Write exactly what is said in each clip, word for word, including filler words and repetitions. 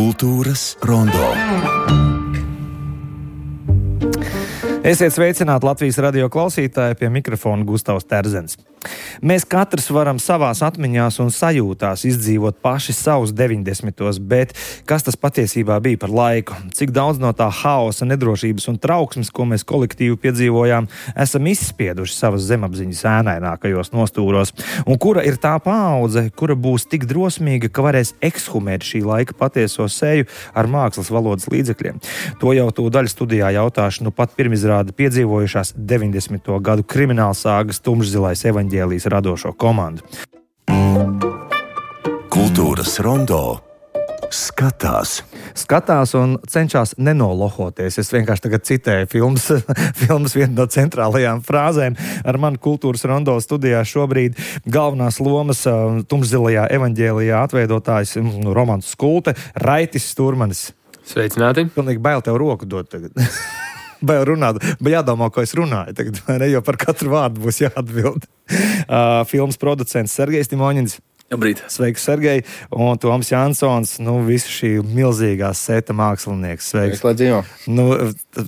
Kultūras rondo. Esiet sveicināti Latvijas radio klausītāji, pie mikrofona Gustavs Terzens. Mēs katrs varam savās atmiņās un sajūtās izdzīvot paši savus deviņdesmitos, bet kas tas patiesībā bija par laiku? Cik daudz no tā haosa, nedrošības un trauksmes, ko mēs kolektīvi piedzīvojām, esam izspieduši savas zemapziņas ēnainākajos nostūros? Un kura ir tā paudze, kura būs tik drosmīga, ka varēs ekshumēt šī laika patieso seju ar mākslas valodas līdzekļiem? To jau tūdaļ studijā jautāšu nu pat pirmizrādi piedzīvojušās deviņdesmito gadu kriminālsāgas Tumšzilais evaņģēlijs radošo komandu. Kultūras rondo skatās. Skatās un cenšas nenolohoties. Es vienkārši tagad citēju filmas, filmas vienu no centrālajām frāzēm. Ar mani Kultūras rondo studijā šobrīd galvenās lomas Tumšzilajā evaņģēlijā atveidotājs Romans Skulte, Raitis Sturmanis. Sveicināti. Pilnīgi bail tev roku dot tagad. Bail runāt, bet jādomā, ko es runāju tagad, vai ne, jo par katru vārdu būs jāatbild. Uh, filmas producents Sergejs Timoņins. Labrīt. Sveiks, Sergej. Un Toms Jansons, nu, visu šī milzīgā seta mākslinieks. Sveiks. Lai dzīvo. Nu,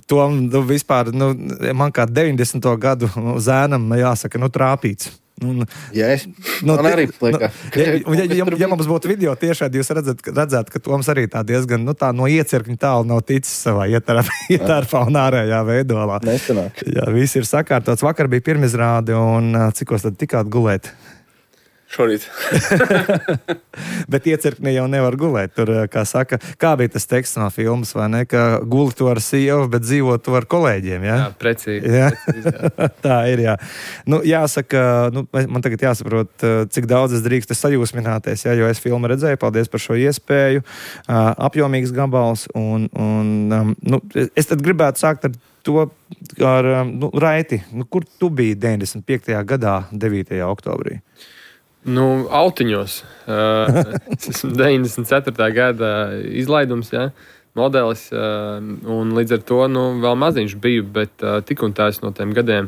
Tom, nu, vispār, nu, man kā deviņdesmito gadu zēnam jāsaka, nu, trāpīts. Un, Jā, es nu, man arī plika. Ja, ja, ja, ja mums būtu video tiešādi, jūs redzat, redzēt, ka Toms arī tā diezgan, nu, tā no iecirkņa tālu nav ticis savā ietērpā un ārējā veidolā. Nestanāk. Jā, viss ir sakārtots. Vakar bija pirmizrāde un cikos tad tikāt gulēt? Šorīt. Bet iecirknī jau nevar gulēt. Tur, kā saka, kā bija tas teksts no filmas, vai ne? Ka guli to ar sievu, bet dzīvo to ar kolēģiem, jā? Jā, precīzi. Jā? precīzi jā. Tā ir, jā. Nu, jāsaka, nu, man tagad jāsaprot, cik daudz es drīkstu sajūsmināties, jā, jo es filmu redzēju, paldies par šo iespēju, apjomīgs gabals, un, un nu, es tad gribētu sākt ar to, ar, nu, Raiti, nu, kur tu biji deviņdesmit piektajā gadā, devītajā oktobrī? Nu, autiņos. Uh, es esmu deviņdesmit ceturtā gada izlaidums, jā, modelis, uh, un līdz ar to, nu, vēl maziņš biju, bet uh, tik un tā es no tiem gadiem,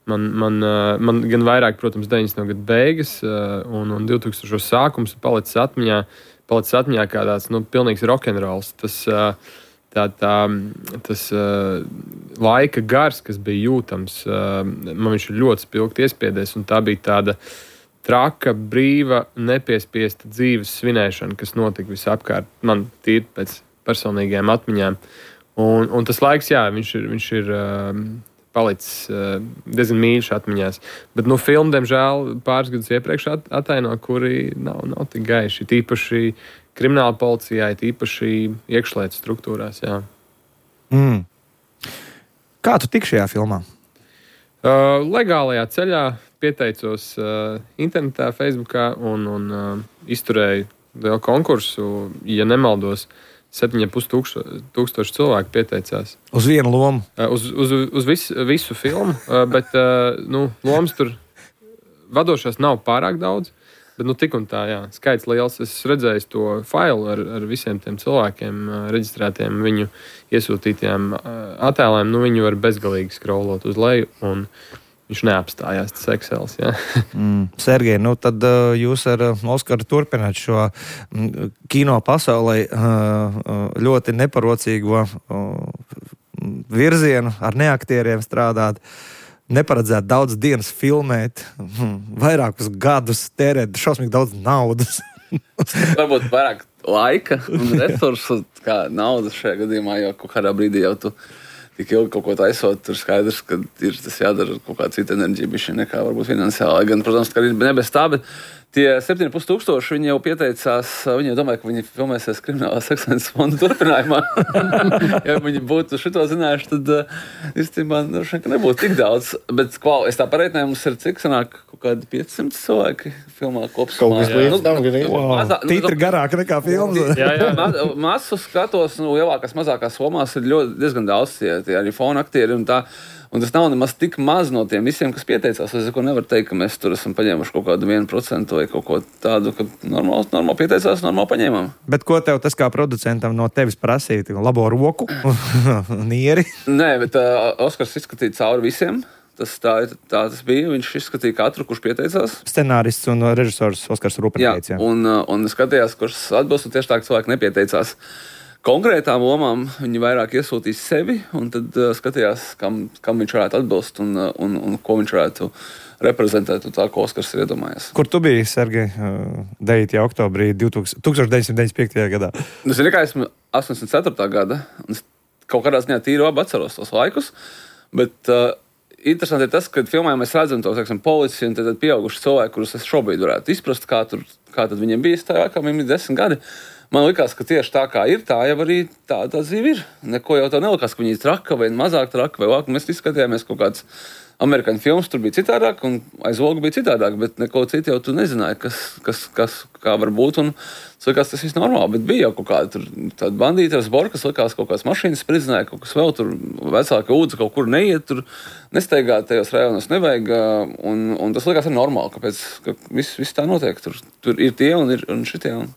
man, man, uh, man gan vairāk, protams, deviņdesmito gadu beigas, uh, un, un divtūkstošos sākums palicis atmiņā, palicis atmiņā kā tāds, nu, pilnīgs rokenrols. Tas, uh, tā, tā, tas uh, laika gars, kas bija jūtams, uh, man viņš ir ļoti spilgti iespiedies, un tā bija tāda traka, brīva, nepiespiesta dzīves svinēšana, kas notika visapkārt man tīri pēc personīgajām atmiņām. Un, un tas laiks, jā, viņš ir, viņš ir uh, palicis uh, diezgan mīļš atmiņās. Bet, nu, filmu, diemžēl, pāris gadus iepriekš at, ataino, kuri nav, nav tik gaiši. Tīpaši krimināla policijā, tīpaši iekšlietu struktūrās, jā. Mm. Kā tu tik šajā filmā? Uh, legālajā ceļā pieteicos uh, internetā, Facebookā un, un uh, izturēju lielu konkursu. Ja nemaldos, septiņi ar pus tūkstoši cilvēku pieteicās. Uz vienu lomu? Uh, uz uz, uz vis, visu filmu, uh, bet uh, nu, lomas tur vadošās nav pārāk daudz. Bet, nu, tik un tā, jā, skaits liels. Es redzēju to failu ar, ar visiem tiem cilvēkiem, uh, reģistrētiem viņu iesūtītajiem uh, attēliem. Nu, viņu var bezgalīgi scrollot uz leju, un viņš neapstājās, tas Excels, jā. Mm. Sergej, nu tad uh, jūs ar uh, Oskaru turpināt šo mm, kino pasaulē uh, ļoti neparocīgo uh, virzienu, ar neaktieriem strādāt. Neparedzēt daudz dienas filmēt, vairākus gadus tērēt šausmīgi daudz naudas. Varbūt vairāk laika un resursu kā naudas šajā gadījumā, jo kaut kādā brīdī jau tu tik ilgi kaut ko taisot, tur skaidrs, ka ir tas jādara kaut kā cita enerģija, bišķi nekā varbūt finansiāli. Gan, protams, ka arī ne bez tā, bet tie septiņi ar pus tūkstoši, viņi jau pieteicās, viņi jau domāja, ka viņi filmēsies Kriminālās ekscelences fonda turpinājumā. Ja viņi būtu šito zinājuši, tad īstenībā nu, nebūtu tik daudz. Bet kval, es tā pareitnēju, mums ir cik sanāk kaut kādi piecsimt cilvēki filmā kopsumā. Kaut kas līdz tam, gan wow. Tītri garāk nekā filmas. Jā, jā, ma masu skatos, nu, lielākās, mazākās lomās ir ļoti diezgan daudz tie, tie arī fona aktieri un tā. Un tas nav nemaz tik maz no tiem visiem, kas pieteicās. Es nevaru teikt, ka mēs tur esam paņēmuši kaut kādu vienu procentu vai kaut ko tādu, ka normāli, normāli pieteicās, normāli paņēmām. Bet ko tev tas kā producentam no tevis prasīja? Labo roku, nieri? Nē, bet uh, Oskars izskatīja cauri visiem. tas, tā, tā tas bija. Viņš izskatīja katru, kurš pieteicās. Scenārists un režisors Oskars Rūpenieks. Jā, un, un skatījās, kurš atbilst, un tieši tā, ka cilvēki nepieteicās konkrētām lomām, viņi vairāk iesūtīs sevi, un tad uh, skatījās, kam, kam viņš varētu atbilst un, un, un ko viņš varētu reprezentēt, un tā, ko Oskars ir iedomājies. Kur tu biji, Sergej, devītajā oktobrī tūkstoš deviņsimt deviņdesmit piektajā gadā? Es zinu, ka esmu astoņdesmit ceturtā gada, un es kaut kādā ziņā tīri labi atceros tos laikus, bet uh, interesanti ir tas, ka filmā mēs redzam tos, teiksim, policiju un tad pieauguši cilvēki, kurus es šobrīd varētu izprast, kā, tur, kā tad viņiem bija tajā, kā viņiem ir desmit gadi. Man likās, ka tieši tā kā ir, tā jau arī tā, tā dzīve ir. Neko jau tā nelikās, ka viņi ir traka vai mazāk traka vai lāk. Mēs visi skatījāmies kaut kāds amerikāņu filmas, tur bija citādāk un aiz logu bija citādāk, bet neko citu jau tu nezināji, kas, kas, kas kā var būt. Un es likās, tas viss normāli, bet bija jau kaut kāda tur tāda bandīta ar zboru, kas likās kaut kāds mašīnas spridzināja, kaut kas vēl tur vecāka ūdze kaut kur neiet, tur nesteigā tajos rajonos nevajag. Un, un tas likās arī normāli, kāpēc ka viss, viss tā notiek. Tur, tur ir tie un, ir, un šitie. Un...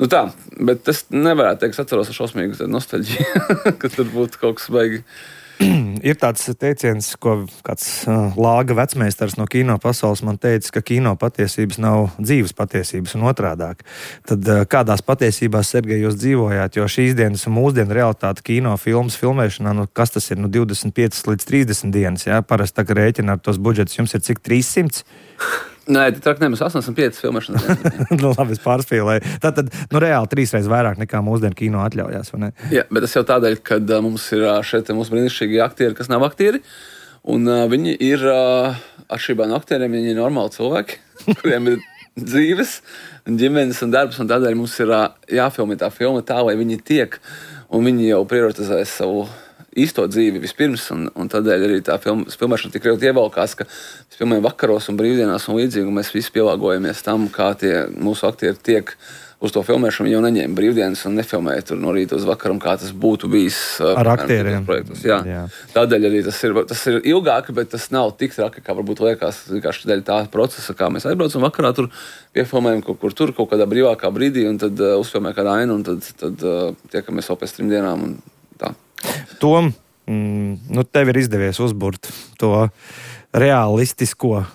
Nu tā, bet es nevarētu teikt, es atceros ar šausmīgu nostalģiju, ka tur būtu kaut kas baigi. Ir tāds teiciens, ko kāds uh, lāga vecmeistars no kino pasaules man teica, ka kino patiesības nav dzīves patiesības un otrādāk. Tad uh, kādās patiesībās, Sergej, jūs dzīvojāt, jo šīs dienas un mūsdienu realitāte kino filmas filmēšanā, nu kas tas ir, nu divdesmit piecas līdz trīsdesmit dienas, jā, parasti tā, ka rēķina ar tos budžetus, jums ir cik trīssimts? Nē, tā trāk nemaz astoņdesmit piecas filmēšanas. Nu, labi, es pārspīlēju. Tātad, nu, reāli trīsreiz vairāk nekā mūsdienu kino atļaujās, vai ne? Jā, bet tas jau tādēļ, ka uh, mums ir uh, šeit mūsu brīnišķīgi aktieri, kas nav aktieri, un uh, viņi ir uh, atšķirībā no aktieriem, viņi ir normāli cilvēki, kuriem ir dzīves, ģimenes un darbs, un tādēļ mums ir uh, jāfilmē tā filma tā, lai viņi tiek, un viņi jau prioritizē savu īsto dzīvi vispirms, un, un tādēļ arī tā film, filmēšana tik ļoti ievalkās, ka mēs filmējam vakaros un brīvdienās un līdzīgi, un mēs visi pielāgojamies tam, kā tie mūsu aktieri tiek uz to filmēšanu. Viņi jau neņēma brīvdienas un nefilmēja tur no rīta uz vakaru, kā tas būtu bijis ar aktieriem. Jā. Jā. Tādēļ arī tas ir, tas ir ilgāk, bet tas nav tik traki, kā varbūt liekas, vienkārši dēļ tā procesa, kā mēs aizbraucam vakarā, tur piefilmējam kaut kur tur, kaut kādā brīvākā brīdī, un tad uh, uzfilmē kādā ainu, un tad, tad uh, tiekamies vēl pēc trim dienām, un tā. Tom, mm, nu tev ir izdevies uzburt to realistisko.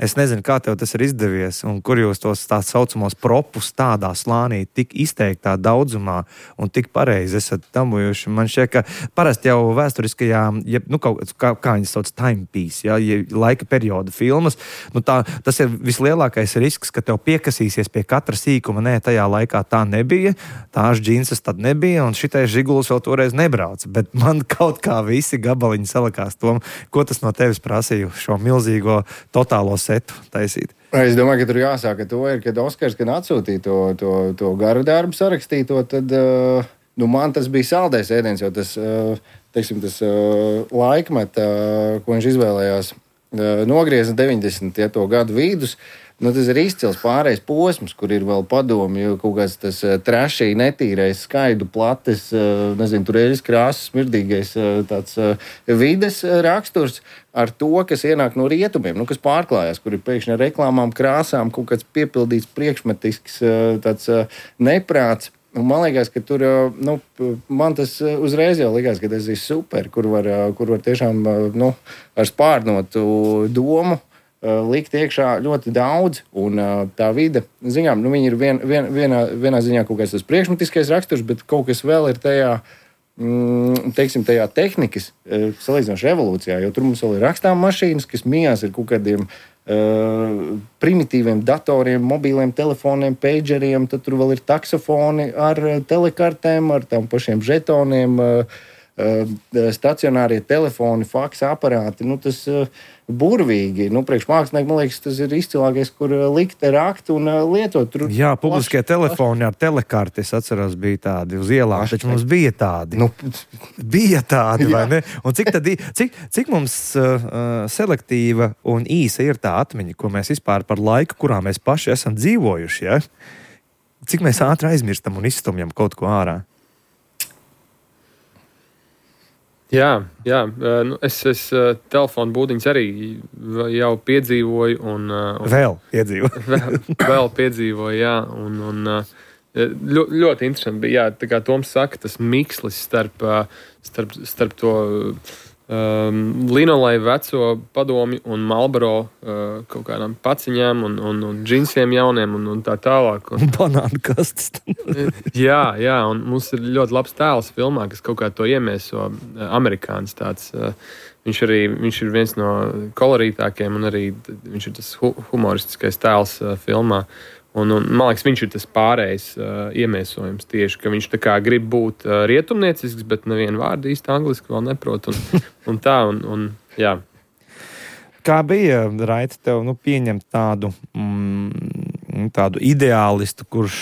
Es nezinu, kā tev tas ir izdevies, un kur jūs tos tā saucamos propus tādā slānī tik izteiktā daudzumā un tik pareizi esat tamujuši. Man šķiet, ka parasti jau vēsturiskajā, ja, nu, kaut, kā, kā viņas sauc, timepiece, ja, ja laika perioda filmas, nu tā, tas ir vislielākais risks, ka tev piekasīsies pie katra sīkuma. Nē, tajā laikā tā nebija, tās džinsas tad nebija, un šitais žiguls vēl toreiz nebrauca. Bet man kaut kā visi gabaliņi salikās tom, ko tas no tevis prasīja šo milzīgo totālo setu taisīt. Es domāju, ka tur jāsāk ar to, ir, kad Oskars, kad atsūtīja to, to, to garu darbu sarakstīto, tad uh, nu, man tas bija saldais ēdiens, jo tas, uh, teiksim, tas uh, laikmet, uh, ko viņš izvēlējās, uh, nogrieza deviņdesmit ja, to gadu vidus. Nu, tas ir izcils pārējais posms, kur ir vēl padomi, jo kaut kāds tas uh, trešī, netīrais, skaidu, plates, uh, nezinu, tur eļas krāsas, smirdīgais uh, tāds uh, vides uh, raksturs ar to, kas ienāk no rietumiem, nu, kas pārklājās, kur ir pēkšņi ar reklāmām, krāsām, kaut kāds piepildīts priekšmetisks uh, tāds uh, neprāts. Un man liekas, ka tur, uh, nu, man tas uh, uzreiz jau likās, ka tas ir super, kur var, uh, kur var tiešām, uh, nu, ar spārnotu domu likt iekšā ļoti daudz, un tā vide, ziņām, nu, viņi ir vien, vien, vienā, vienā ziņā kaut kāds tas priekšmetiskais raksturs, bet kaut kas vēl ir tajā, mm, teiksim, tajā tehnikas salīdzinoši evolūcijā, jo tur mums vēl ir rakstām mašīnas, kas mijās ir kaut kādiem uh, primitīviem datoriem, mobīliem telefoniem, pageriem, tad tur vēl ir taksofoni ar telekartēm, ar tām pašiem žetoniem, uh, stacionārie telefoni, faksa aparāti, nu tas uh, burvīgi. Nu, priekš mākslinieki, man liekas, tas ir izcilākais, kur likt, rakt un uh, lietot. Tur jā, publiskie plaši, telefoni ar telekarti, es atceros, bija tādi uz ielām, taču mums bija tādi. Nu, bija tādi, vai ne? Un cik, tad, cik, cik mums uh, selektīva un īsa ir tā atmiņa, ko mēs vispār par laiku, kurā mēs paši esam dzīvojuši, ja? Cik mēs ātri aizmirstam un izstumjam kaut ko ārā? Jā, jā. Nu, es, es telefonu būdiņas arī jau piedzīvoju. Un, un vēl piedzīvoju. vēl, vēl piedzīvoju, jā. Un, un, ļo, ļoti interesanti bija, jā, tā kā Toms saka, tas mikslis starp, starp, starp to Um, Linolai veco padomi un Marlboro uh, kaut kādām paciņām un, un, un džinsiem jauniem un, un tā tālāk. Un, banānu kastes. jā, jā, un mums ir ļoti labs tēls filmā, kas kaut kā to iemieso uh, amerikāns tāds. Uh, viņš arī viņš ir viens no kolorītākiem un arī viņš ir tas hu- humoristiskais tēls uh, filmā. Un, un, man liekas, viņš ir tas pārējais uh, iemiesojums tieši, ka viņš tā kā grib būt uh, rietumniecisks, bet nevienu vārdu īsti angliski vēl neprot. Un, un tā, un, un jā. Kā bija, Raita, tev nu, pieņemt tādu, mm, tādu ideālistu, kurš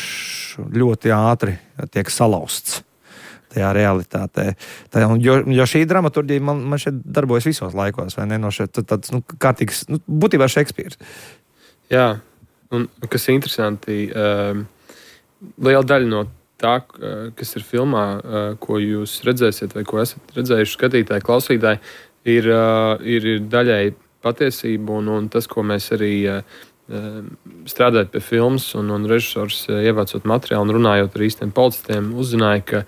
ļoti ātri tiek salauzts tajā realitātē? Tā, jo, jo šī dramaturģija man, man šeit darbojas visos laikos, vai ne? No šeit tāds, nu, kārtīgs, nu, būtībā Šekspīrs. Jā. Un, kas ir interesanti, uh, liela daļa no tā, uh, kas ir filmā, uh, ko jūs redzēsiet, vai ko esat redzējuši skatītāji, klausītāji, ir, uh, ir, ir daļai patiesība un, un tas, ko mēs arī uh, strādājot pie filmas un, un režisors uh, ievācot materiālu un runājot ar īstiem policistiem, uzzināja, ka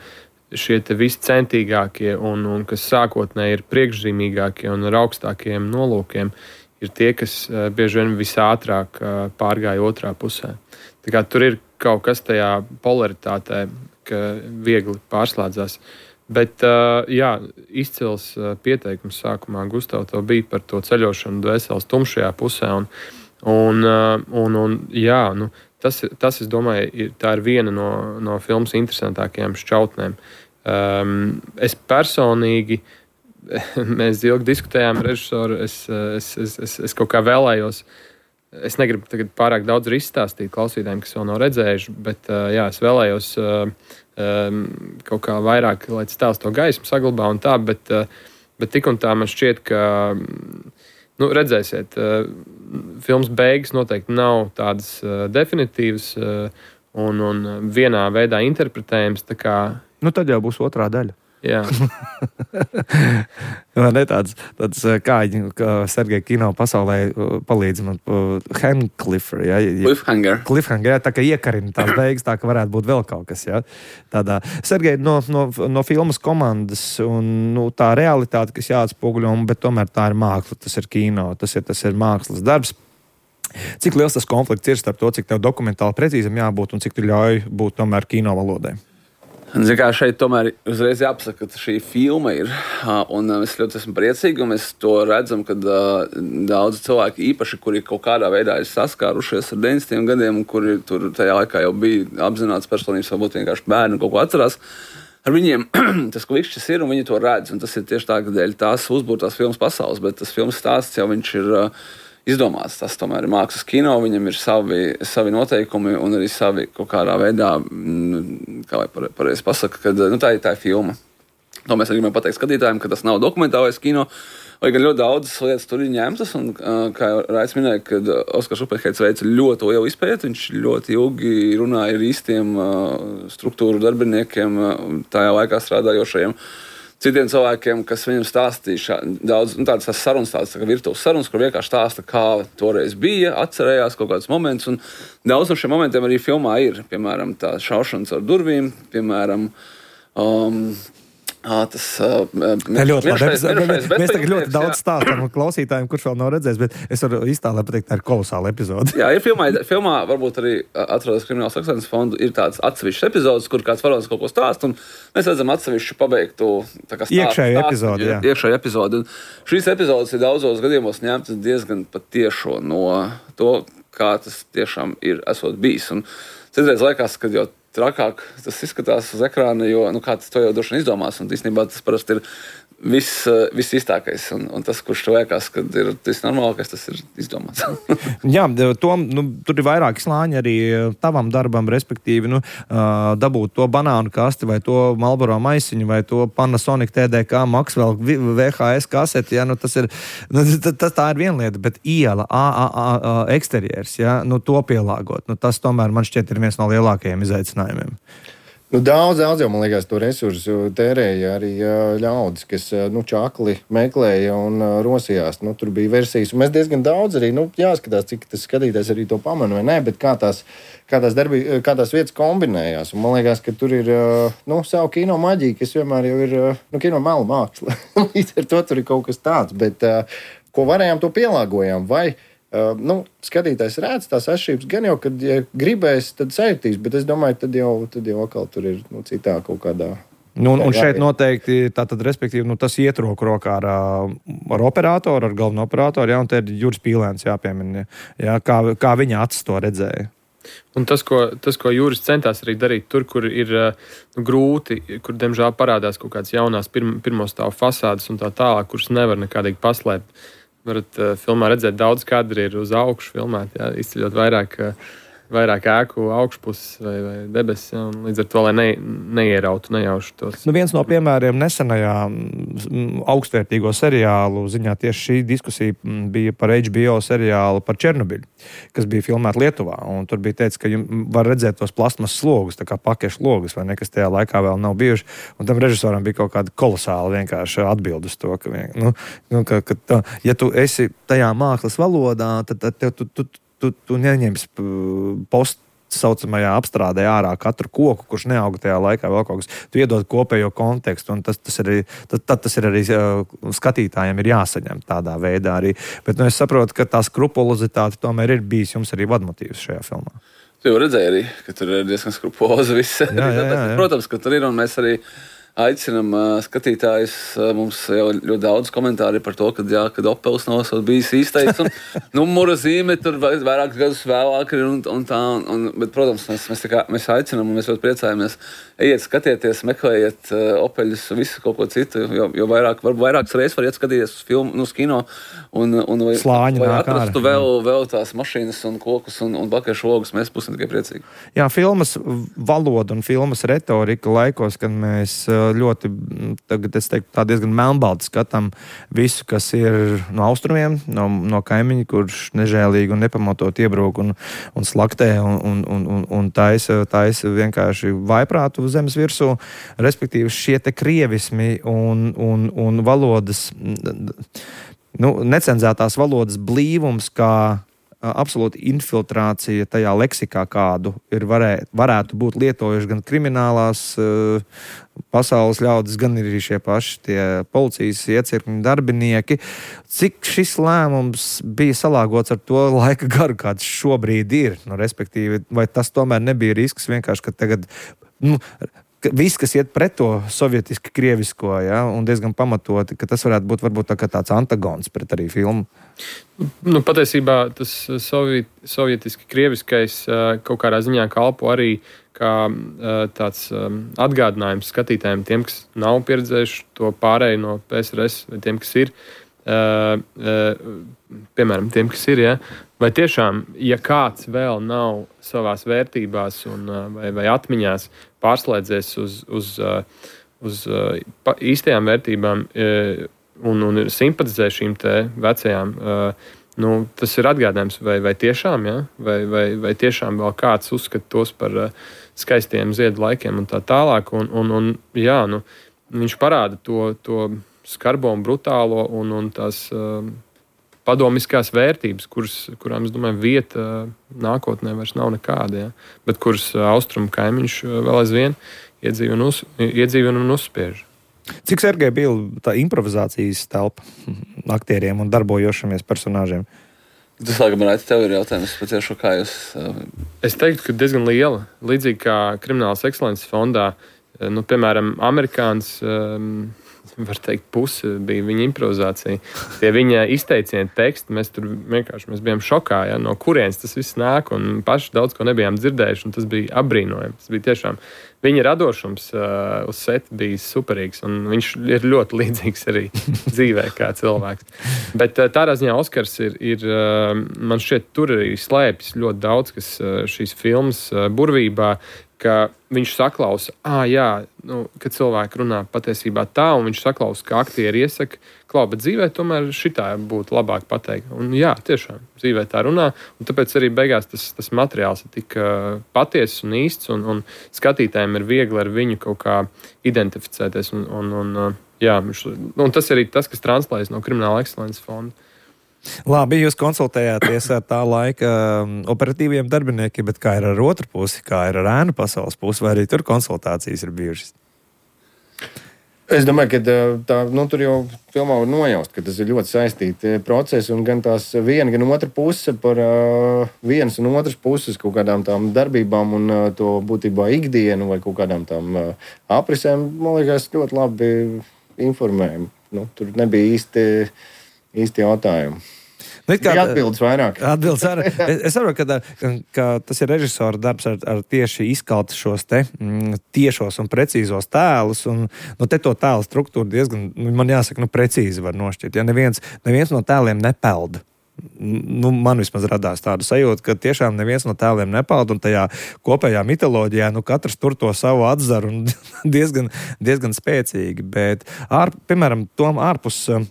šie te visi centīgākie un, un kas sākotnēji ir priekšzīmīgākie un ar augstākiem nolūkiem, ir tie, kas uh, bieži vien visātrāk uh, pārgāja otrā pusē. Tā kā tur ir kaut kas tajā polaritātē, ka viegli pārslēdzās. Bet, uh, jā, izcils uh, pieteikums sākumā, Gustav, tev bija par to ceļošanu dvēseles tumšajā pusē. Un, un, uh, un, un jā, nu, tas, tas, es domāju, ir, tā ir viena no, no filmas interesantākajām šķautnēm. Um, es personīgi Mēs ilgi diskutējām ar režisoru. Es, es, es, es, es kaut kā vēlējos. Es negribu tagad pārāk daudz izstāstīt klausītājiem, kas vēl nav redzējuši, bet jā, es vēlējos kaut kā vairāk, lai tas tēls to gaismu saglabā un tā, bet, bet tik un tā man šķiet, ka, nu, redzēsiet, filmas beigas noteikti nav tādas definitīvas un, un vienā veidā interpretējams. Tā kā... Nu, tad jau būs otrā daļa. Jā. ne, tāds, tāds kāģi, kā Sergeja kino pasaulē palīdz man Handcliffer, ja? Cliffhanger. Cliffhanger, jā, tā kā iekarina tās beigas, tā ka varētu būt vēl kaut kas, ja? Tādā. Sergeja, no, no, no filmas komandas un nu, tā realitāte, kas jāatspoguļo, bet tomēr tā ir māksla, tas ir kino, tas ir, tas ir mākslas darbs. Cik liels tas konflikts ir starp to, cik tev dokumentāli precīzam jābūt un cik tu ļauj būt tomēr kino valodai? Zin kā, šeit tomēr uzreiz jāpasaka, ka šī filma ir, un es ļoti esmu priecīgi, un mēs to redzam, kad uh, daudzi cilvēki īpaši, kuri kaut kādā veidā ir saskārušies ar deviņdesmitajiem gadiem, un kuri tur tajā laikā jau bija apzināts personības, varbūt vienkārši bērni kaut ko atcerās, ar viņiem tas klikšķis ir, un viņi to redz, un tas ir tieši tā, ka dēļ tās uzbūrtās filmas pasaules, bet tas filmas stāsts jau viņš ir uh, izdomāts. Tas tomēr ir mākslas kino, viņam ir savi, savi noteikumi un arī savi kaut kādā veidā, kā lai pareizi pasaka, ka nu, tā, tā ir filma. To mēs arī gribam pateikt skatītājiem, ka tas nav dokumentālais kino, vai gan ļoti daudzas lietas tur ir ņemtas, un kā Raits minēja, kad Oskars Uppenheits veica ļoti lielu izpēti, viņš ļoti ilgi runāja ar īstiem struktūru darbiniekiem, tajā laikā strādājošajiem, citiem cilvēkiem, kas viņam stāstīja daudz, nu, tādas sarunas, tādas tā kā virtuves sarunas, kur vienkārši stāsta, kā toreiz bija, atcerējās kaut kādus momentus, un daudz no šiem momentiem arī filmā ir, piemēram, tā šaušanas ar durvīm, piemēram, um, À, tas uh, ļoti labi. Mēs, mēs tagad ļoti daudz stāstām klausītājiem, kurš vēl nav redzējis, bet es varu iztēlēt pateikt, tā ir kolosāla epizode. Jā, ir filmā, filmā varbūt arī atrodas Kriminālas ekscelences fondu, ir tāds atsevišķs epizodes, kur kāds varonis kaut ko stāst, un mēs redzam atsevišķu pabeigtu tā kā stāstu. Iekšēju epizodi, jā. Iekšēju epizodi. Un šīs epizodes ir daudzos gadījumos ņemtas diezgan pat tiešo no to, kā tas tiešām ir esot bijis. Un citreiz liekas, ka jau trakāk tas izskatās uz ekrāna, jo nu, kāds to jau droši vien izdomās. Un īstenībā tas parasti ir viss, viss īstākais. Un, un tas, kurš to liekas, kad ir tas normālākais, tas ir izdomāts. Jā, to, nu, tur ir vairāki slāņi arī tavam darbam, respektīvi, nu, dabūt to banānu kasti, vai to Marlboro maisiņu, vai to Panasonic T D K Maxwell V H S kaseti. Ja, nu, tas ir, nu, tas tā ir viena lieta, bet iela, a, a, a, eksterjers, ja, nu, to pielāgot. Nu, tas tomēr man šķiet ir viens no lielākajiem izaicinājumiem. Nu, daudz, daudz jau, man liekas, to resursu tērēja arī ļaudis, kas nu, čakli meklēja un rosījās. Nu, tur bija versijas, un mēs diezgan daudz arī, nu, jāskatās, cik tas skatītājs arī to pamana vai nē, bet kā tās, kā tās, darbi, kā tās vietas kombinējās. Un man liekas, ka tur ir, nu, savu kino maģiju, kas vienmēr jau ir, nu, kino melu māksla. Līdz ar to tur ir kaut kas tāds, bet ko varējām, to pielāgojām, vai Uh, nu, skatītājs redz tās atšķirības, gan jau, kad ja gribēs, tad sajūtīs, bet es domāju, tad jau, tad jau atkal tur ir nu, citā kaut kādā. Nu, un, un šeit noteikti, tātad, respektīvi, nu, tas iet roku rokā ar, ar operatoru, ar galveno operatoru, ja, un te ir Juris Pīlēns jāpiemina, ja, kā, kā viņa acis to redzēja. Un tas, ko, tas, ko Juris centās arī darīt tur, kur ir nu, grūti, kur, diemžēl, parādās kaut kādas jaunās pirm, pirmo stāvu fasādes un tā tālāk, kuras nevar nekādīgi paslēpt. Varat uh, filmā redzēt, daudz kadri ir uz augšu filmēt, jā, izceļot vairāk, uh, vairāk ēku augšpuses vai, vai debesis, jā, un līdz ar to, lai ne, neierautu, nejaušu tos. Nu, viens no piemēriem nesenajā augstvērtīgo seriālu ziņā tieši šī diskusija bija par H B O seriālu par Černobiļu, kas bija filmēta Lietuvā, un tur bija teicis, ka var redzēt tos plasmas slogus, tā kā pakešu logus, vai nekas tajā laikā vēl nav bijuši, un tam režisoram bija kaut kāda kolosāla vienkārši atbildes to, ka, nu, nu, ka, ka tā, ja tu esi tajā mākslas valodā, tad, tad tev tu, tu, tu, tu neņems post saucamajā apstrādē ārā katru koku, kurš neauga tajā laikā vēl kaut kas. Tu iedod kopējo kontekstu, un tas, tas, arī, tad, tad tas ir arī skatītājiem ir jāsaņem tādā veidā arī. Bet nu, es saprotu, ka tā skrupulozitāte tomēr ir bijis jums arī vadmotīvs šajā filmā. Tu jau redzēji arī, ka tur ir diezgan skrupulozi viss. Jā, jā, jā, jā. Protams, ka tur ir, un mēs arī aicinām uh, skatītājus. Uh, mums jau ļoti daudz komentāri par to, ka, jā, kad Opels nav bijis īstais. Un numura zīme tur vairākus gadus vēlāk ir un, un tā. Un, bet, protams, mēs, mēs, kā, mēs aicinām un mēs ļoti priecājamies. Ejiet, skatieties, meklējiet uh, Opeļus, visu kaut ko citu. Jo, jo vairāk, varbūt vairākas reizes variet skatīties uz filmu, nu, uz kino. Un, un vai, Slāņi vai atrastu vēl, vēl tās mašīnas un kokus un, un bakešu logus. Mēs būsim tikai priecīgi. Jā, filmas valoda un filmas retorika laikos, kad mēs ļoti, tagad es teiktu, tā diezgan melnbalti skatām visu, kas ir no austrumiem, no, no kaimiņa, kurš nežēlīgi un nepamatot iebrūk un, un slaktē un, un, un, un taisa, taisa vienkārši vaiprātu zemes virsū. Respektīvi šie te krievismi un, un, un valodas, nu, necenzētās valodas blīvums, kā absolūta infiltrācija tajā leksikā, kādu ir varē, varētu būt lietojuši gan kriminālās uh, pasaules ļaudis, gan arī šie paši tie policijas iecirkņu darbinieki. Cik šis lēmums bija salāgots ar to laika garu, kāds šobrīd ir? Nu, respektīvi, vai tas tomēr nebija risks vienkārši, ka tagad, nu, viss, kas iet pret to sovietiski krievisko, ja, un diezgan pamatoti, ka tas varētu būt varbūt tā kā tāds antagons pret arī filmu? Nu, patiesībā tas soviet, sovietiski krieviskais kaut kādā ziņā kalpo arī kā tāds atgādinājums skatītājiem, tiem, kas nav pieredzējuši to pārēju no P S R S, vai tiem, kas ir, piemēram, tiem, kas ir, ja, vai tiešām, ja kāds vēl nav savās vērtībās un, vai, vai atmiņās pārslēdzies uz, uz, uz īstajām vērtībām un, un simpatizē šīm te vecajām, nu, tas ir atgādinājums, vai, vai tiešām, ja? vai, vai, vai tiešām vēl kāds uzskata tos par skaistiem ziedu laikiem un tā tālāk. Un, un, un, jā, nu, viņš parāda to, to skarbo un brutālo un, un tās uh, padomiskās vērtības, kuras, kurām, es domāju, vieta nākotnē vairs nav nekāda, ja? Bet kuras austrumu kaimiņš vēl aizvien iedzīvina un, uz, iedzīvina un uzspiež. Cik, Sergej, bija tā improvizācijas telpa aktieriem un darbojošamies personāžiem? Tas, laikam, Raiti, tev ir jautājums, patiešu, kā jūs... Es teiktu, ka diezgan liela. Līdzīgi kā Kriminālas ekscelences fondā, nu, piemēram, amerikāns, var teikt, pusi bija viņa improvizācija. Tie viņa izteicieni teksti, mēs tur vienkārši mēs bijām šokā, ja, no kurienes tas viss nāk, un paši daudz ko nebijām dzirdējuši, un tas bija apbrīnojami. Tas bija tiešām... Viņa radošums uh, uz seta bija superīgs, un viņš ir ļoti līdzīgs arī dzīvē kā cilvēks. Bet uh, tādā ziņā Oskars ir, ir uh, man šķiet, tur arī slēpjas ļoti daudz, kas uh, šīs filmas uh, burvībā, ka viņš saklausa, ah, jā, nu, kad cilvēki runā patiesībā tā, un viņš saklausa, ka aktieri iesaka, klau, bet dzīvē tomēr šitā būtu labāk pateikt. Un jā, tiešām, dzīvē tā runā, un tāpēc arī beigās tas, tas materiāls ir tik uh, patiesis un īsts, un, un skatītājiem ir viegli ar viņu kaut kā identificēties. Un, un, un, uh, jā, un tas ir arī tas, kas translējas no Krimināla ekscelences fonda. Labi, jūs konsultējāties ar tā laika operatīviem darbiniekiem, bet kā ir ar otru pusi, kā ir ar ēnu pasaules pusi, vai arī tur konsultācijas ir bijušas? Es domāju, ka tā, nu, tur jau filmā var nojaust, ka tas ir ļoti saistīti procesi, un gan tās viena, gan otra puse par uh, vienas un otras puses kaut kādām tām darbībām un uh, to būtībā ikdienu vai kaut kādām tām uh, aprisēm, man liekas, ļoti labi informējumi. Nu, tur nebija īsti... īsti jautājumi. Nu, kā, atbildes vairāk. Atbildes vairāk. Es, es saprotu, ka, ka tas ir režisora darbs ar, ar tieši izkalt šos te mm, tiešos un precīzos tēlus. Un, nu, te to tēlu struktūru diezgan, man jāsaka, nu, precīzi var nošķirt. Ja neviens, neviens no tēliem nepelda. Nu, man vismaz radās tāda sajūta, ka tiešām neviens no tēliem nepeld, un tajā kopējā mitoloģijā nu, katrs tur to savu atzaru un diezgan, diezgan spēcīgi. Bet, ār, piemēram, tom ārpus uh,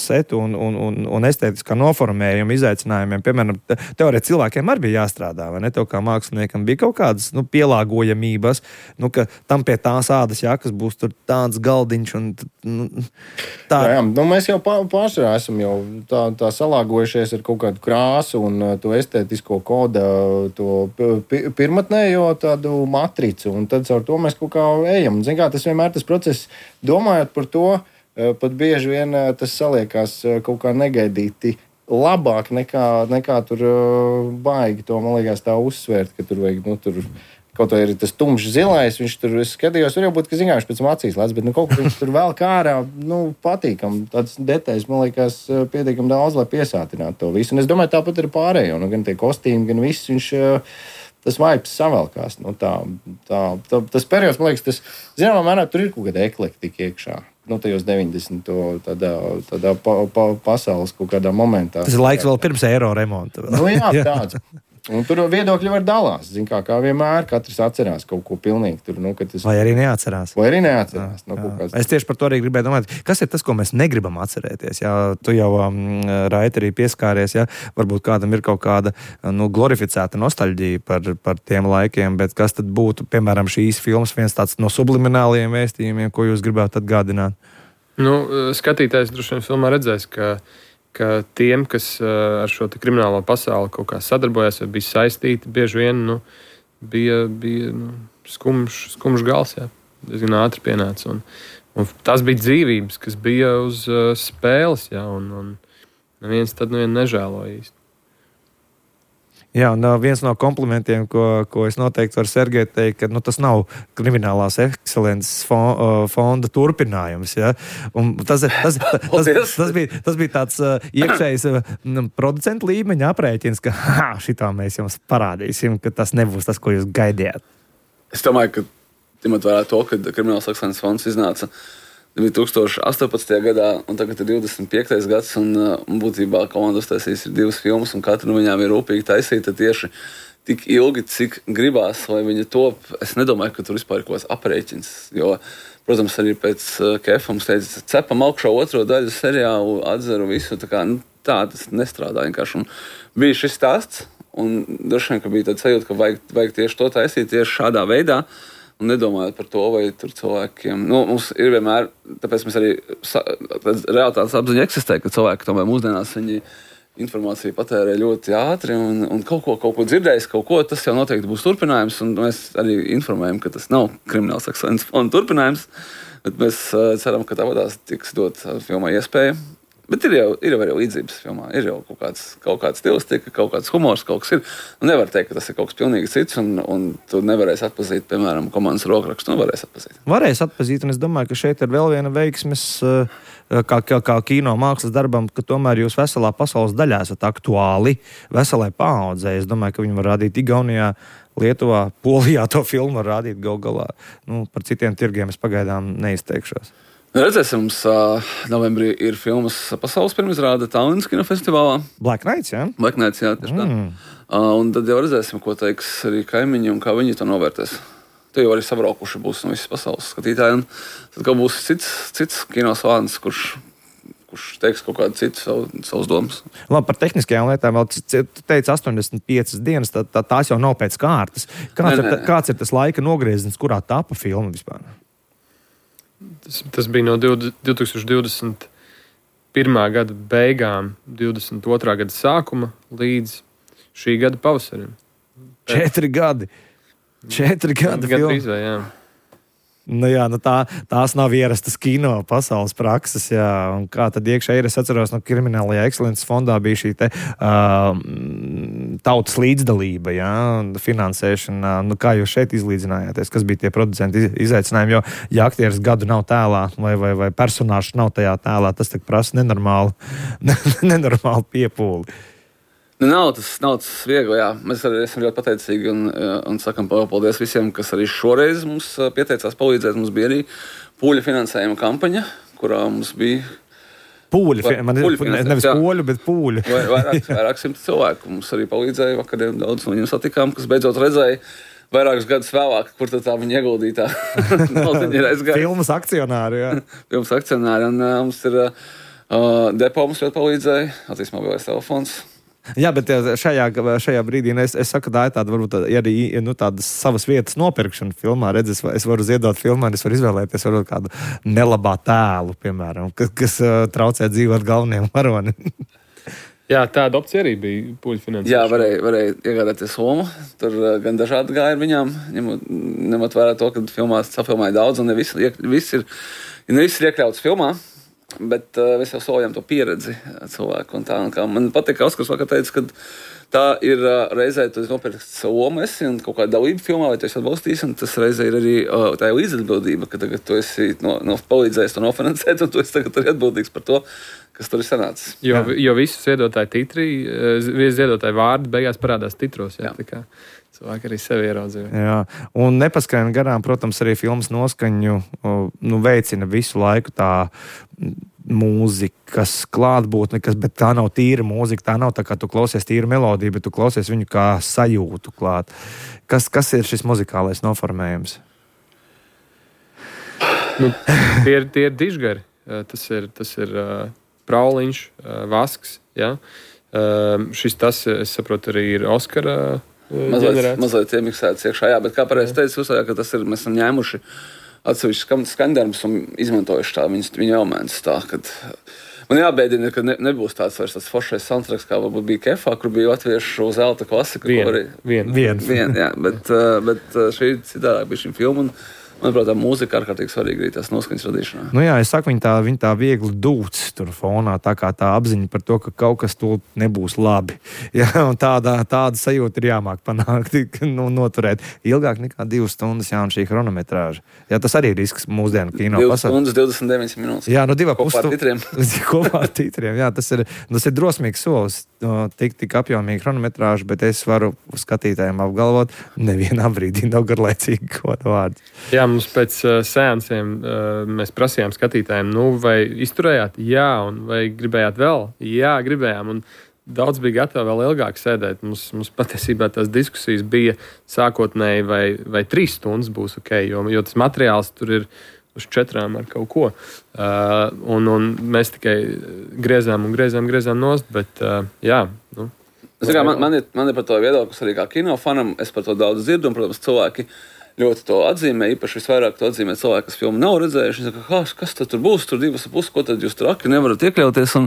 setu un, un, un, un estētiskā noformējuma izaicinājumiem, piemēram, teorētiski cilvēkiem arī bija jāstrādā, vai ne? Tev kā māksliniekam bija kaut kādas nu, pielāgojamības, nu, ka tam pie tās ādas jakas būs tur tāds galdiņš un nu, tā. Jā, jā, nu, mēs jau pašā esam jau tā, tā salāgojušies ar kaut kādu krāsu un to estētisko koda, to pirmatnējo tādu matricu, un tad caur to mēs kaut kā ejam. Zin kā, tas vienmēr tas process, domājot par to, pat bieži vien tas saliekās kaut kā negaidīti labāk nekā, nekā tur baigi to, man liekas, tā uzsvērt, ka tur vajag, nu, tur kaut vai ir tas tumšs zilais, viņš tur, es skatījos, var jau būt, ka zināšu pēc acīs lēc, bet nu, kaut kā viņš tur vēl kārā, nu, patīkam. Tāds detaļas, man liekas, pietiekam daudz, lai piesātinātu to visu. Un es domāju, tāpat ir pārējo, nu, gan tie kostīmi, gan viss, viņš, tas vibes savelkās. Nu, tā, tā, tā, tas periods, man liekas, tas, zināmā mērā, tur ir kaut kāda eklektika iekšā. Nu, tajos deviņdesmito tādā, tādā pa, pa, pasaules kaut kādā momentā. Tas ir laiks vēl pirms eiro remonta. Nu, jā, tāds. Un tur viedokļi var dalās. Zin kā, kā vienmēr, katrs atcerās kaut ko pilnīgi. Tur, nu, tas... Vai arī neatcerās. Vai arī neatcerās. Jā, nu, kāds... Es tieši par to arī gribēju domāt. Kas ir tas, ko mēs negribam atcerēties? Jā, tu jau, um, Raita, arī pieskāries. Jā, varbūt kādam ir kaut kāda nu, glorificēta nostalģija par, par tiem laikiem, bet kas tad būtu, piemēram, šīs filmas viens tāds no sublimināliem vēstījumiem, ko jūs gribētu atgādināt? Nu, skatītājs droši vien filmā redzēs, ka ka tiem, kas uh, ar šo kriminālo pasauli kaut kā sadarbojās vai bija saistīti, bieži vien nu, bija, bija nu, skumjš, skumjš gals, jā, diezgan ātri pienāca. Un, un tās bija dzīvības, kas bija uz uh, spēles, jā, un, un neviens tad nevien nežēloja īsti. Jā, un viens no komplimentiem, ko, ko es noteikti varu Sergei teikt, ka nu, tas nav Kriminālās ekscelences fonda turpinājums. Ja? Un tas, tas, tas, tas, tas, bija, tas bija tāds uh, iekšējs uh, producentu līmeņa aprēķins, ka ha, šitā mēs jums parādīsim, ka tas nebūs tas, ko jūs gaidījāt. Es domāju, ka ņemot vērā to, ka Kriminālās ekscelences fonds iznāca divi tūkstoši astoņpadsmitajā gadā, un tagad ir divdesmit piektais gads, un, un būtībā komandas taisīs ir divas filmas, un katra no viņām ir rūpīgi taisīta tieši tik ilgi, cik gribās, lai viņa top. Es nedomāju, ka tur vispār ir kaut kāds aprēķins, jo, protams, arī pēc Kefa mums teica, cepam augšā otro daļu seriālu, atzeru visu, tā kā, nu, tā tas nestrādā vienkārši. Un bija šis stāsts, un droši vien, ka bija tāds sajūta, ka vajag, vajag tieši to taisīt tieši šādā veidā, un nedomājot par to, vai tur cilvēkiem... Nu, mums ir vienmēr, tāpēc mēs arī realitātes apziņa eksistē, ka cilvēki tomēr mūsdienās viņi informāciju patērē ļoti ātri un, un kaut ko, kaut ko dzirdējis, kaut ko, tas jau noteikti būs turpinājums, un mēs arī informējam, ka tas nav Kriminālas ekscelences fonda turpinājums, bet mēs ceram, ka tāpatās tiks dot filmai iespēja. Bet ir jau, ir jau arī līdzības filmā. Ir jau kaut kāds, kaut kāds stilistika, kaut kāds humors, kaut kas ir. Un nevar teikt, ka tas ir kaut kas pilnīgi cits, un, un tu nevarēsi atpazīt, piemēram, komandas rokrakstu. Nu, varēs atpazīt. Varēs atpazīt, un es domāju, ka šeit ir vēl viena veiksmes, kā, kā, kā kino mākslas darbam, ka tomēr jūs veselā pasaules daļā esat aktuāli veselai paaudzē. Es domāju, ka viņi var rādīt Igaunijā, Lietuvā, Polijā to filmu var rādīt gal galā. Nu, par citiem tirgiem es pagaidām neizteikšos. Redzēsim, mums uh, novembrī ir filmas pasaules pirmizrāde Tallinas kinofestivālā. Black Nights, jā? Black Nights, jā, tieši tā. Mm. Uh, un tad jau redzēsim, ko teiks arī kaimiņi un kā viņi to novērtēs. Tu jau arī sabraukuši būs no visas pasaules skatītāji. Un tad kaut būs cits, cits kino svāns, kurš, kurš teiks kaut kādu citu savu, savus domas. Labi, par tehniskajām lietām vēl tu teici astoņdesmit piecas dienas, tā, tā, tās jau nav pēc kārtas. Kāds, ne, ne, ir, kāds ir tas laika nogrieziens, kurā tapa filma vispār? Tas, tas bija no divtūkstoš divdesmit pirmā gada beigām, divdesmit otrā gada sākuma līdz šī gada pavasarim. Četri gadi. Četri gadi filma. Gandrīz vai, jā. Nu jā, nu tā, tās nav ierastas kino pasaules prakses, jā. Un kā tad iekšā ir, es atceros, no Kriminālajā ekscelences fondā bija šī te uh, tautas līdzdalība, jā, finansēšana. Nu kā jūs šeit izlīdzinājāties, kas bija tie producenti izaicinājumi, jo ja aktieris gadu nav tēlā vai, vai, vai personāžs nav tajā tēlā, tas tak prasa nenormāli, nenormāli piepūli. Nu, nav tas, nav tas viegli, jā. Mēs arī esam ļoti pateicīgi un, un sakam paldies visiem, kas arī šoreiz mums pieteicās palīdzēt. Mums bija arī pūļu finansējuma kampaņa, kurā mums bija... Pūļu, vai, man pūļu ir nevis jā. Poļu, bet pūļu. Vai, vairāk, vairāk simt cilvēku. Mums arī palīdzēja vakariem daudz no viņiem satikām, kas beidzot redzēja vairākus gadus vēlāk, kur tad tā viņa ieguldītā. Filmas akcionāri, jā. Filmas akcionāri. Un uh, mums ir uh, depo mums ļoti palīdzēja, attīst mobilais telefons. Jā, bet šajā, šajā brīdī es, es saku, tā ir tāda, varbūt arī nu, tādas savas vietas nopirkšana filmā. Redz, es, es varu ziedot filmā, un es varu izvēlēties varbūt kādu nelabā tēlu, piemēram, kas, kas uh, traucē dzīvot galvenajam varonim. Jā, tāda opcija arī bija pūļu finansēšana. Jā, varēja, varēja iegādāties lomu. Tur uh, gan dažādi gāja ar viņām, ņemot, ņemot vērā to, ka filmās safilmēja daudz, un ne viss ir, viss ir, ne viss ir iekļauts filmā. Bet uh, mēs jau solījām to pieredzi cilvēku. Un tā, un kā man patīk, ka Oskars vakar teica, ka tā ir uh, reizē, tu nopirkst savu lomu esi un kaut kāda dalība filmā, vai tu esi atbalstījis, un tas reizē ir arī uh, tā ir līdzatbildība, ka tagad tu esi no, no palīdzējis to nofinansēt, un tu esi tagad arī atbildīgs par to, kas tur ir sanācis. Jo, jo visu ziedotāju titri, visu ziedotāju vārdi beigās parādās titros. Jā, jā. Tā kā cilvēki arī sevi ieraudzīja. Jā, un nepaskrien garām, protams, arī filmas noskaņu nu, veicina visu laiku tā mūzikas klātbūtne, kas, bet tā nav tīra mūzika, tā nav tā kā tu klausies tīru melodiju, bet tu klausies viņu kā sajūtu klāt. Kas, kas ir šis muzikālais noformējums? Nu, tie ir, tie ir dižgari. Tas ir, tas ir uh, Prauliņš, uh, Vasks, ja? Uh, šis tas, es saprotu, arī ir Oskara uh, mazliet, mazliet iemiksēts iekšā, jā, bet kā pareizi teicu, uzsājā, ka tas ir, mēs esam ņēmuši atsevišķi skandarbus un izmantojuši tā viņas, viņa elementus tā, kad man jābēdina, ka ne, nebūs tāds vairs tāds foršais soundtracks, kā varbūt bija Kefā, kur bija latviešu zelta klasika. Vien, arī, vien. Vien, vien, jā, bet, bet šī citādāk bija šim filmu un manuprāt, tā mūzika ārkārtīgi svarīga arī tās noskaņas radīšanā. Nu jā, es saku, viņa tā, viņa tā viegli dūts tur fonā, tā kā tā apziņa par to, ka kaut kas to nebūs labi. Jā, un tāda, tāda sajūta ir jāmāk panākt, nu, noturēt ilgāk nekā divas stundas, jā, un šī chronometrāža. Jā, tas arī ir risks mūsdienu kino pasaulē. divas stundas, divdesmit deviņas minūtes. Jā, nu divā kopā ar titriem. Kopā ar titriem, jā, tas ir, tas ir drosmīgs solis, tik, tik apjomīgi chronometrāža, bet es varu skatītājiem apgalvot, nevienā brīdī nav garlaicīgi koda vārdi. Jā, mums pēc uh, seansiem uh, mēs prasījām skatītājiem, nu, vai izturējāt? Jā, un vai gribējāt vēl? Jā, gribējām, un daudz bija gatavi vēl ilgāk sēdēt. Mums, mums patiesībā tās diskusijas bija sākotnēji, vai, vai trīs stundas būs ok, jo, jo tas materiāls tur ir uz četrām ar kaut ko. Uh, un, un mēs tikai griezām un griezām, griezām nost, bet uh, jā, nu. Kā, man, man, ir, man ir par to viedoklis arī kā kinofanam, es par to daudz dzirdu, un, protams, cilvēki ļoti to atzīmē, īpaši visvairāk to atzīmē cilvēki, kas filmu nav redzējuši. Viņi saka, kas tad tur būs, tur divas puses, ko tad jūs tur aki nevarat iekļauties. Un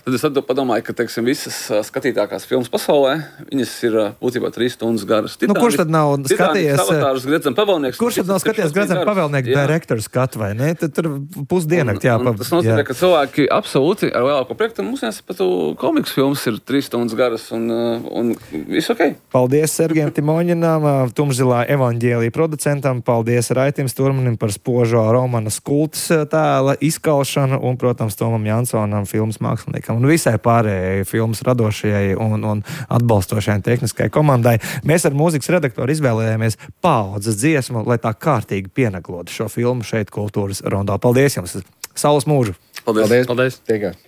tad es padomāju, ka, teiksim, visas skatītākās filmas pasaulē, viņas ir būtībā trīs stundas garas. Titāni, nu, kurš tad nav skatījies? Kurš tad nav skatījies Gredzena Pavēlnieka direktora skatu, vai ne? Tad tur pusdienakt jāpa. Tas nozīmē, ka cilvēki absolūti ar lielāko priektu, mums jāsaka, pat komiks filmas ir trīs stundas garas un, un viss ok. Paldies Sergejam Timoņinam, Tumšzilā evaņģēlija producentam, paldies Raitim Sturmanim par spožo Romana Skultas tēla izkalšanu un, protams, Tomam Jansonam, filmas māksliniekam un visai pārējai filmas radošajai un, un atbalstošajai tehniskai komandai. Mēs ar mūzikas redaktoru izvēlējāmies Paaudzes dziesmu, lai tā kārtīgi pienaglotu šo filmu šeit Kultūras Rondo. Paldies jums! Saules mūžu! Paldies! Paldies. Paldies.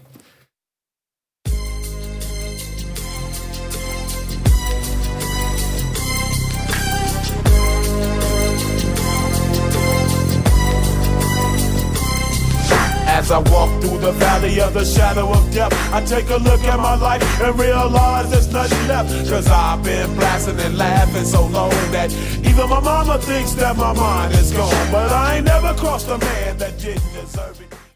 As I walk through the valley of the shadow of death, I take a look at my life and realize there's nothing left. Cause I've been blasting and laughing so long that even my mama thinks that my mind is gone. But I ain't never crossed a man that didn't deserve it.